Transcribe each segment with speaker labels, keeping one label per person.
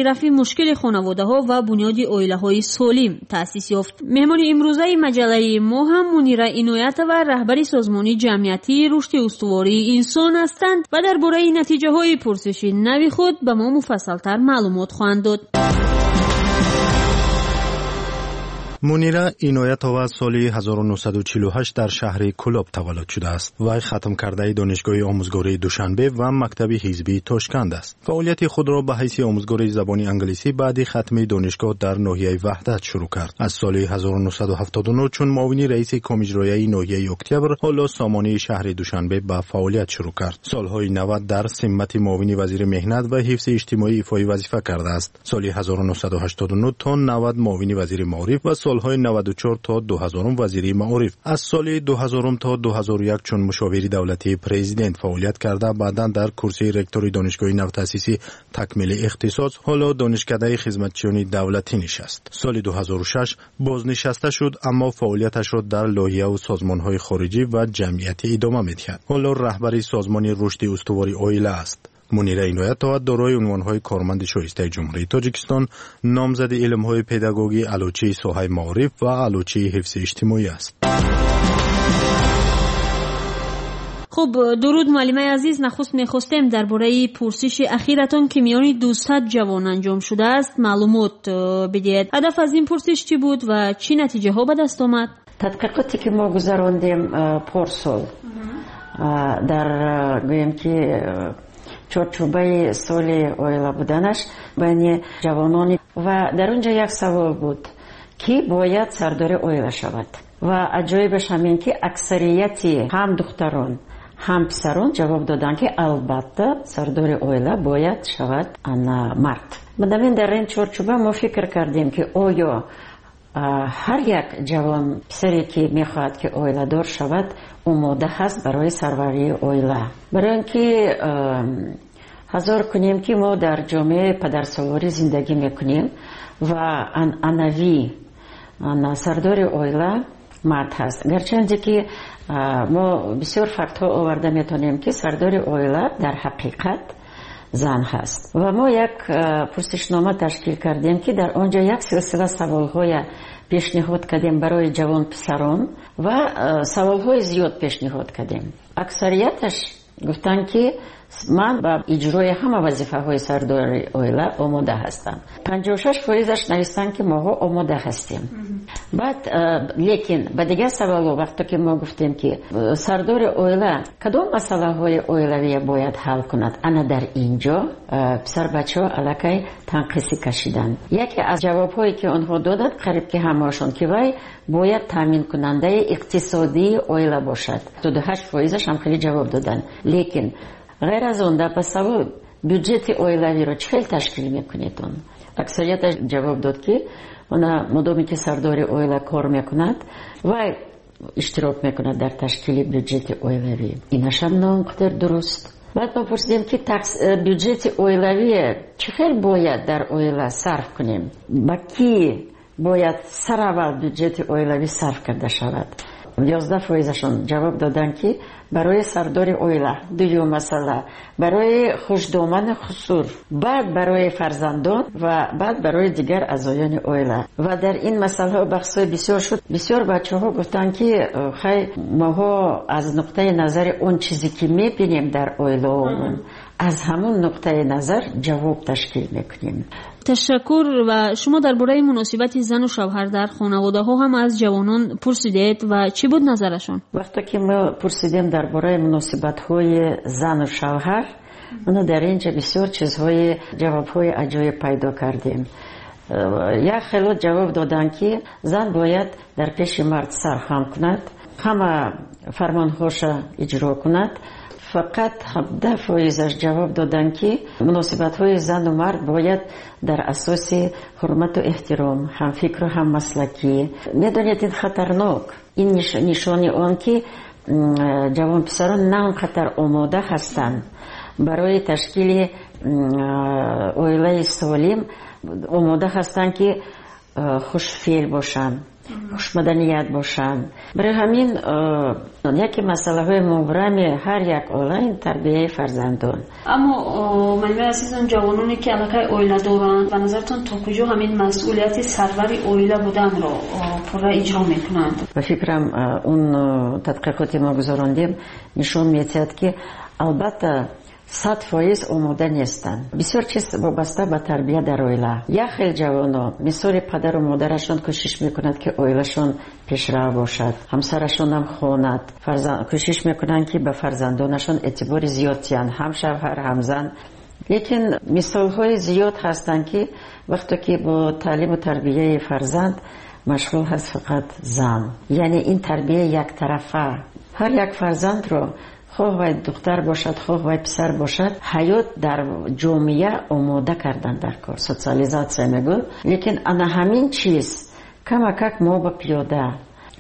Speaker 1: Рафъи мушкили хонаводаҳо ва бунёди оилаҳои солим таъсис ёфт. Меҳмони имрӯзаи маҷаллаи мо ҳам Мунира Иноятова, раҳбари созмони ҷамъиятии рушди устувории инсон ҳастанд ва дар бораи натиҷаҳои пурсиши нави худ ба мо муфассалтар маълумот хоҳанд дод.
Speaker 2: Мунира Иноятова соли 1948 дар шаҳри Кӯлоб таваллуд шудааст. Вай хатмкардаи Донишгоҳи омӯзгории Душанбе ва мактаби ҳизбии Тошканд аст. Фаъолияти худро ба ҳайси омӯзгори забони англисӣ баъди хатми донишгоҳ дар ноҳияи Ваҳдат шурӯъ кард. Аз соли 1979 чун муовини раиси комиҷрояи ноҳияи Октябр, ҳоло сомонии шаҳри Душанбе, ба фаъолият шурӯъ кард. Солҳои 90 дар симмати муовини вазири меҳнат ва ҳифзи иҷтимоӣ ифои вазифа кардааст. Соли 1989 то 90 муовини вазири маориф ва солҳои 94 то 2000 вазири маориф. Аз соли 2000 то 2001 чун мушовири давлатии президент фаъолият карда, баъдан дар курсии ректори донишгоҳи навтаъсиси такмили ихтисос, ҳоло Донишкадаи хизматчиёни давлатӣ, нишаст. Соли 2006 бознишаста шуд, аммо фаъолияташро дар лоиҳаву созмонҳои хориҷӣ ва ҷамъиятӣ идома медиҳад. Ҳоло раҳбари созмони рушди устувори оила аст. Мунира Иноятова дорои унвонҳои корманди шоистаи Ҷумҳурии Тоҷикистон, номзади илмҳои педагогӣ, аълочии соҳаи маориф ва аълочии ҳифзи иҷтимоӣ аст.
Speaker 1: Хуб, дуруд, муаллимаи азиз. Нахуст мехостем дар бораи пурсиши ахиратон, ки миёни 200 ҷавон анҷом шудааст, маълумот бидиҳед. Ҳадаф аз ин пурсиш чӣ буд ва чӣ натиҷаҳо ба даст омад?
Speaker 3: Тадқиқоте ки мо гузарондем порсол дар, гӯем ки, чорчӯбаи соли оила буданаш байни ҷавонони, ва дар он ҷо як савол буд, ки бояд сардори оила шавад. Ва аҷоибаш ҳамин, ки аксарияти ҳам духтарон, ҳам писарон ҷавоб доданд, ки албатта сардори оила бояд шавад ана мард. Бинобар дар ин чорчӯба мо фикр кардем, ки оё ҳар як ҷавон писаре, ки мехоҳад, ки оиладор шавад, омода ҳаст барои сарварии оила. Барои он ки ҳазор кунем, ки мо дар ҷомеаи падарсолорӣ зиндагӣ мекунем ва анъанавӣ сардори оила мард ҳаст, гарчанде ки мо бисёр фактҳо оварда метавонем, ки сардори оила дар ҳақиқат зан ҳаст. Ва мо як пурсишнома ташкил кардем, ки дар он ҷо як силсила саволҳоя пешниҳод кардем барои ҷавонписарон ва саволҳои зиёд пешниҳод кардем. Аксарияташ гуфтанд, ки ман ба иҷрои ҳама вазифаҳои сардори оила омода ҳастам. 56%-аш навистанд, ки моҳо омода ҳастем. Баъд лекин ба дигар саволҳо, вақте ки мо гуфтем, ки сардори оила кадом масъалаҳои оилавия бояд ҳал кунад, ана дар ин ҷо писарбачаҳо аллакай танқисӣ кашиданд. Яке аз ҷавобҳое, ки онҳо доданд, қариб ки ҳамаашон, ки вай бояд таъминкунандаи иқтисодии оила бошад. 8%-аш ҳам хеле ҷавоб доданд. Лекин ғайр аз он, дар ба савол бюҷети оилавиро чӣ хел ташкил мекунед, он аксарияташ ҷавоб дод, ки она мудоме ки сардори оила кор мекунад, вай иштирок мекунад дар ташкили бюҷети оилавӣ. Инашам на он қадар дуруст. Баъд мо пурсидем, ки бюҷети оилавие чӣ хел бояд дар оила сарф кунем, ба кӣ бояд сараввал бюҷети оилавӣ сарф карда шавад. 11%-ашон ҷавоб доданд, ки барои сардори оила, дуюм масъала барои хушдоману хусур, баъд барои фарзандон ва баъд барои дигар аъзоёни оила. Ва дар ин масъалаҳо баҳсҳои бисёр шуд. Бисёр бачаҳо гуфтанд, ки хай, моҳо аз нуқтаи назари он чизе, ки мебинем дар оилаомон, аз ҳамон нуқтаи назар ҷавоб ташкил мекунем.
Speaker 1: Ташаккур. Ва шумо дар бораи муносибати зану шавҳар дар хонаводаҳо ҳам аз ҷавонон пурсидед ва чӣ буд назарашон?
Speaker 3: Вақте ки мо пурсидем дар бораи муносибатҳои зану шавҳар, ана дар ин ҷо бисёр чизҳои, ҷавобҳои аҷоиб пайдо кардем. Як хело ҷавоб доданд, ки зан бояд дар пеши мард сархам кунад, ҳама фармонҳоша иҷро кунад. Фақат 17%-аш ҷавоб доданд, ки муносибатҳои зану мард бояд дар асоси ҳурмату эҳтиром, ҳамфикру ҳаммаслакӣ. Медонед, ин хатарнок, ин нишони он, ки ҷавонписарон на он қадар омода ҳастанд барои ташкили оилаи солим, омода ҳастанд, ки хушфеъл бошанд. Хушмаданият бошанд. Барои ҳамин яке масъалаҳои мубрами ҳар як оила ин тарбияи фарзандон.
Speaker 1: Аммо муаллимаи азизон, ҷавононе ки аллакай оила доранд, ба назаратон то куҷо ҳамин масъулияти сарвари оила буданро пурра иҷро мекунанд?
Speaker 3: Ба фикрам, он тадқиқоте мо гузарондем нишон медиҳад, ки албатта 100% омода нестанд. Бисёр чиз вобаста ба тарбия дар оила. Як хел ҷавоно мисоли падару модарашон кӯшиш мекунанд, ки оилашон пешрав бошад, ҳамсарашонам хонад, кӯшиш мекунанд, ки ба фарзандонашон эътибори зиёд диҳанд, ҳам шавҳар, ҳам зан. Лекин мисолҳои зиёд ҳастанд, ки вақте ки бо таълиму тарбияи фарзанд машғул ҳаст фақат зан, яъне ин тарбия яктарафа. Ҳар як фарзандро, хоҳ вай духтар бошад, хоҳ вай писар бошад, ҳаёт дар ҷомеа омода кардан дар кор, социализация мегӯяд. Лекин ана ҳамин чиз камакак мо ба пиёда.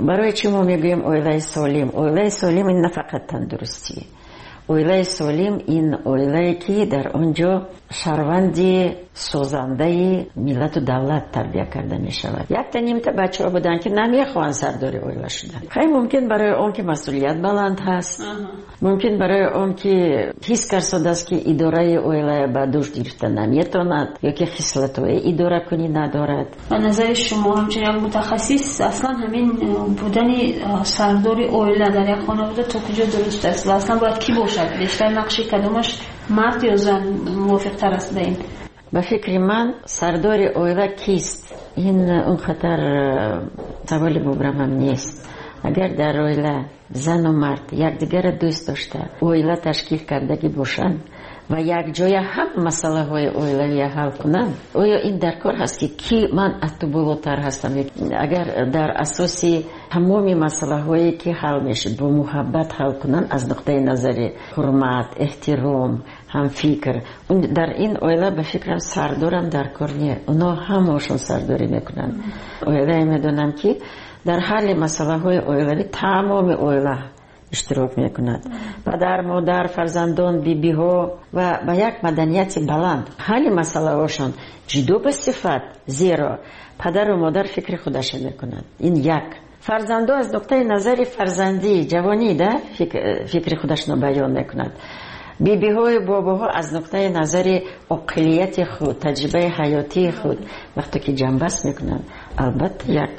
Speaker 3: Барои чӣ мо мегӯем оилаи солим? Оилаи солим ин на фақат тандурустӣ. Оилаи солим ин оилае, ки дар он ҷо шаҳрванди созандаи миллату давлат тарбия карда мешавад. Якта нимта бачаҳо буданд, ки намехоҳанд сардори оила шудан. Хай, мумкин барои он ки масъулият баланд ҳаст, мумкин барои он ки ҳис карсодааст, ки идораи оила ба дӯш гирифта наметавонад ё ки хислатҳои идоракунӣ надорад.
Speaker 1: Ба назари шумо, ҳамчун як мутахассис, аслан ҳамин будани сардори оила дар як хонавода то куҷо дуруст аст ва аслан бояд кӣ бошад? Бештар нақши кадомаш, мард ё зан, мувофиқтар аст ба ин?
Speaker 3: Ба фикри ман, сардори оила кист, ин он хатар саволи мубрамам нест. Агар дар оила зану мард якдигарро дӯст дошта, оила ташкил кардагӣ бошанд ва якҷоя ҳам масъалаҳои оилавия ҳал кунанд, оё ин дар кор ҳаст, ки ки ман аз ту болотар ҳастам? Агар дар асоси тамоми масъалаҳое, ки ҳал мешуд, бо муҳаббат ҳал кунанд, аз нуқтаи назари ҳурмат, эҳтиром, ҳамфикр, дар ин оила, ба фикрам, сардорам дар кор не, оно ҳамаошон сардорӣ мекунанд. Оилае медонам, ки дар ҳалли масъалаҳои оилавӣ тамоми оила иштирок мекунад: падар, модар, фарзандон, бибиҳо, ва ба як маданияти баланд ҳалли масъалаҳошон ҷудо ба сифат, зеро падару модар фикри худаша мекунад, ин як фарзандо аз нуқтаи назари фарзандӣ, ҷавонӣ да фикри худашро баён мекунад, бибиҳою бобоҳо аз нуқтаи назари оқилияти худ, таҷрибаи ҳаётии худ. Вақте ки ҷамъбаст мекунанд, албатта як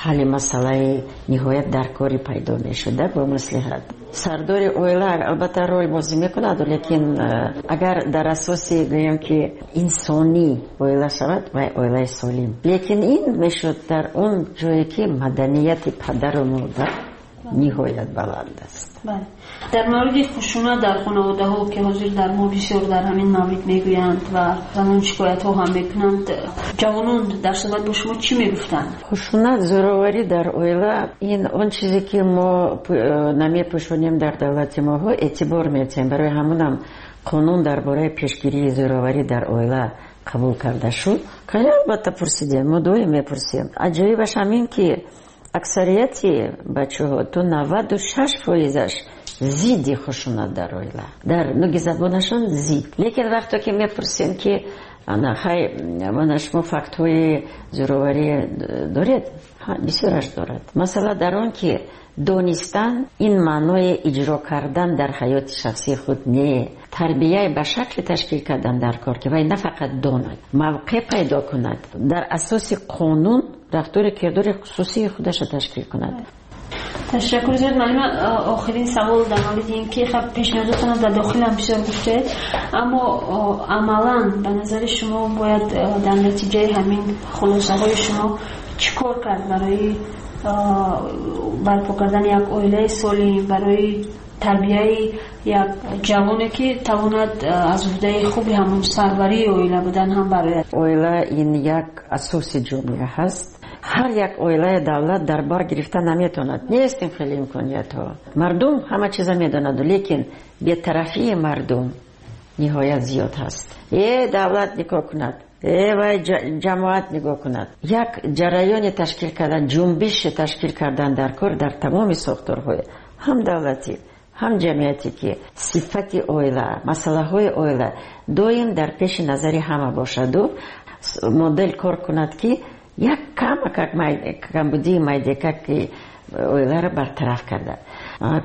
Speaker 3: ҳалли масъалаи ниҳоят даркорӣ пайдо мешуда бо маслиҳат. Сардори оила албатта рол бозӣ мекунад, лекин агар дар асоси, гӯем ки, инсонӣ оила шавад, вай оилаи солим. Лекин ин мешуд дар он ҷое, ки маданияти падару модар ниҳоят баланд аст.
Speaker 1: Дар мавриди хушунат дар хонаводаҳо, ки ҳозир дар мо бисёр дар ҳамин маврид мегӯянд ва занон шикоятҳо ҳам мекунанд, ҷавонон дар суҳбат бо шумо чӣ мегуфтанд?
Speaker 3: Хушунат, зӯроварӣ дар оила ин он чизе, ки мо намепӯшонем. Дар давлати моҳо эътибор медиҳем, барои ҳамонам қонун дар бораи пешгирии зӯроварӣ дар оила қабул карда шуд. Албатта пурсидем, мо доим мепурсем. Аҷоибаш ҳамин, ки аксарияти бачаҳо, то 96%-аш зидди хушунат дар оила, дар нуги забонашон зид. Лекин вақте ки мепурсем, ки ана хай, мана шумо фактҳои зӯроварӣ доред, бисёраш дорад. Масъала дар он, ки донистан ин маънои иҷро кардан дар ҳаёти шахсии худ не. Тарбияи ба шакли ташкил кардан дар кор, ки вай на фақат донад, мавқеъ пайдо кунад, дар асоси қонун рафтори кирдори хусусии худаша ташкил кунад.
Speaker 1: Ташаккур зиёд, муаллима. Охирин савол дар мавриди ин ки хаб пешниҳодотонро дар дохил ҳам бисёр гуфтед, аммо амалан ба назари шумо бояд дар натиҷаи ҳамин хулосаҳои шумо чӣ кор кард барои барпо кардани як оилаи солим, барои тарбияи як ҷавоне, ки тавонад аз уҳдаи хуби ҳамон сарварии оила будан ҳам барояд?
Speaker 3: Оила ин як асоси ҷомеа ҳаст. Ҳар як оилаи давлат дар бар гирифта наметавонад, нест ин хеле имкониятҳо. Мардум ҳама чиза медонаду, лекин бетарафии мардум ниҳоят зиёд ҳаст. Давлат нигоҳ кунад, вай ҷамоат нигоҳ кунад, як ҷараёне ташкил кардан, ҷунбише ташкил кардан дар кор дар тамоми сохторҳои ҳам давлатӣ, ҳам ҷамъиятӣ, ки сифати оила, масъалаҳои оила доим дар пеши назари ҳама бошаду модел кор кунад, ки Як камакак камбудии майдекаки оиларо бартараф карда.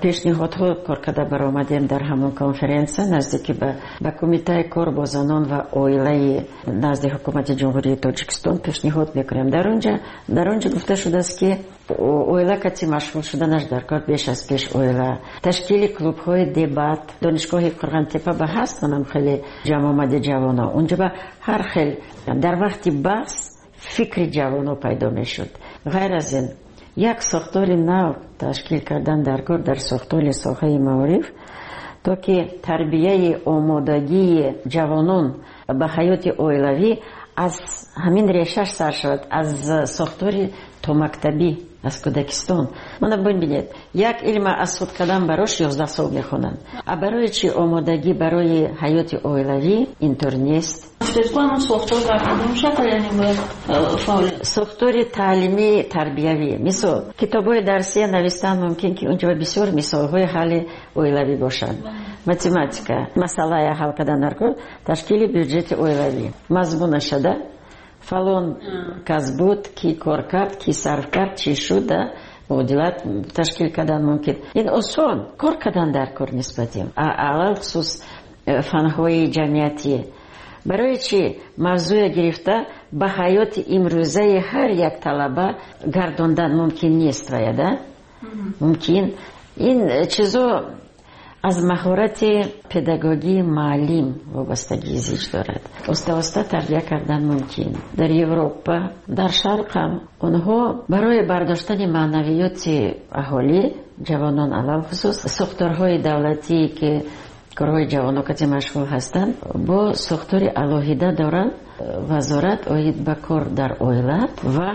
Speaker 3: Пешниҳодҳо кор карда баромадем дар ҳамон конференсия наздики ба Кумитаи кор бо занон ва оилаи назди Ҳукумати Ҷумҳурии Тоҷикистон пешниҳод мекунем. Дар он ҷо гуфта шудааст, ки оила кати машғул шуданаш дар кор беш аз пеш оила. Ташкили клубҳои дебат, донишгоҳи Қурғонтеппа ба ҳаст, онам хеле ҷамъомади ҷавонон. Унҷо ба ҳар хел дар вақти баҳс фикри ҷавонон пайдо мешуд. Ғайр аз ин, як сохтори нав ташкил кардан дар кор дар сохтори соҳаи маориф, то ки тарбияи омодагии ҷавонон ба ҳаёти оилавӣ аз ҳамин решаш сар шавад, аз сохтори томактабӣ, аз кӯдакистон. Мана бибинед, як илма аз худ кардан барош 11 сол мехонанд. А барои чи омодагӣ барои ҳаёти оилавӣ интур нест? Сохтори таълимии тарбиявӣ. Мисол, китобҳои дарсия навистан мумкин, ки унҷо бисёр мисолҳои ҳалли оилавӣ бошанд. Математика, масъалая ҳал кардан дар кор, ташкили бюҷети оилавӣ. Мазмунашада фалон кас буд, ки кор кард, ки сарф кард, чӣ шуд, муодилат ташкил кардан мумкин. Ин осон кор кардан дар кор нисбати. Алалхусус фанҳои ҷамъиятӣ. Барои чӣ мавзӯя гирифта ба ҳаёти имрӯзаи ҳар як талаба гардондан мумкин нест вая, да? Мумкин. Ин чизо аз маҳорати педагогии муаллим вобастагии зич дорад. Оста-оста тарбия кардан мумкин. Дар Европа, дар Шарқ ҳам онҳо барои бардоштани маънавиёти аҳолӣ, ҷавонон алалхусус, сохторҳои давлатие ки корҳои ҷавонон кати машғул ҳастанд, бо сохтори алоҳида доранд вазорат оид ба кор дар оила ва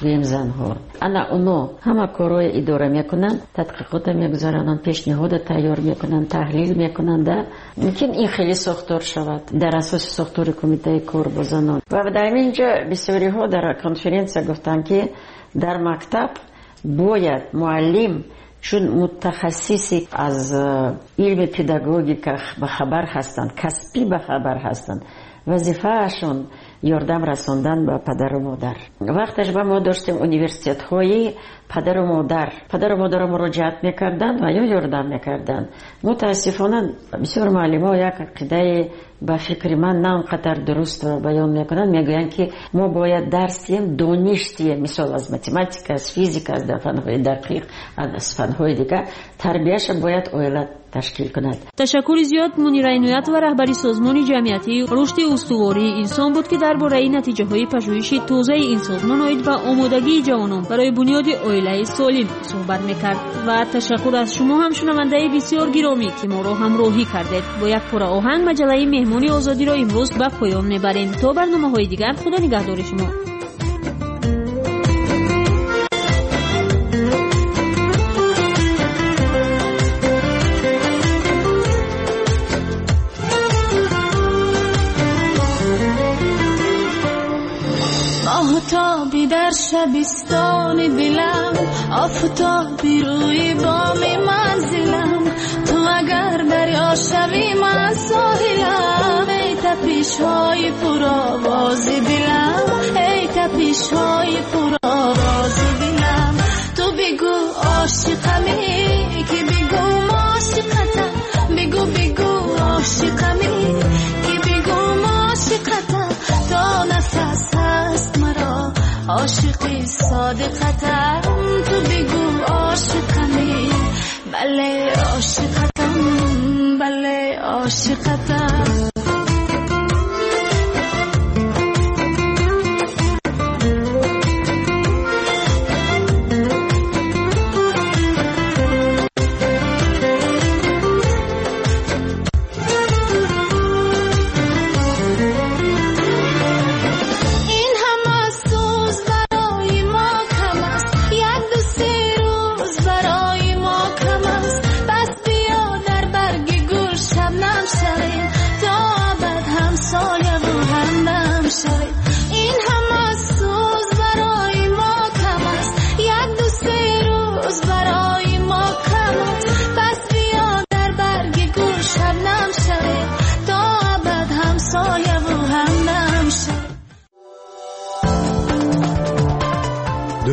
Speaker 3: гӯем занҳо. Ана оно ҳама корҳои идора мекунанд, тадқиқота мегузаронанд, пешниҳода тайёр мекунанд, таҳлил мекунанд. Мумкин ин хеле сохтор шавад дар асоси сохтори Кумитаи кор бо занон. Ва дар ин ҷо бисёриҳо дар конференсия гуфтанд, ки дар мактаб бояд муаллим чун мутахассиси аз илми педагогика ба хабар ҳастанд, касбӣ ба хабар ҳастанд, вазифаашон ёрдам расондан ба падару модар. Вақташ ба мо доштем университетҳои падару модар. Падару модаро муроҷиат мекарданд ва ё ёрдам мекарданд. Мутаассифона бисёр муаллимо як ақидаи ба фикри ман на он қадар дуруст баён мекунанд, мегӯянд, ки мо бояд дарс диҳем, дониш диҳем, мисол аз математика, аз физика, аз фанҳои дақиқ, аз фанҳои дигар. Тарбияша бояд оила ташкил кунад.
Speaker 1: Ташаккури зиёд. Мунира Иноятова, раҳбари Созмони ҷамъиятии рушди устувории инсон буд, ки дар бораи натиҷаҳои пажӯҳиши тозаи ин созмон оид ба омодагии ҷавонон барои бунёди оилаи солим суҳбат мекард. Ва ташаккур аз шумо ҳам, шунавандаи бисёр гиромӣ, ки моро ҳамроҳӣ кардед. Бо як пора оҳанг маҷаллаи Меҳмони Озодиро имрӯз ба поён мебарем. То барномаҳои дигар, Худо нигаҳдори шумо.
Speaker 4: آفتابی در شبستان دلم، آفتابی روی بام منزلم، تو اگر دریا شوی من ساحلم، ای تپش های پرآواز دلم، ای تپش های پرآواز دلم، تو بگو عاشقمی که بگو عاشقتم، بگو بگو عاشقمی که بگو عاشقتم، تا نفس هست مرا عاشقی صادقتم، تو بگو عاشقمی، بله عاشقتم، بله عاشقتم. Don't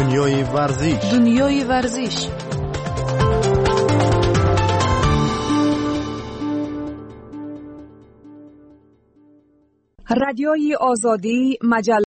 Speaker 2: Дунёи варзиш.
Speaker 4: Дунёи варзиш.
Speaker 5: Радиои Озодӣ маҷалла.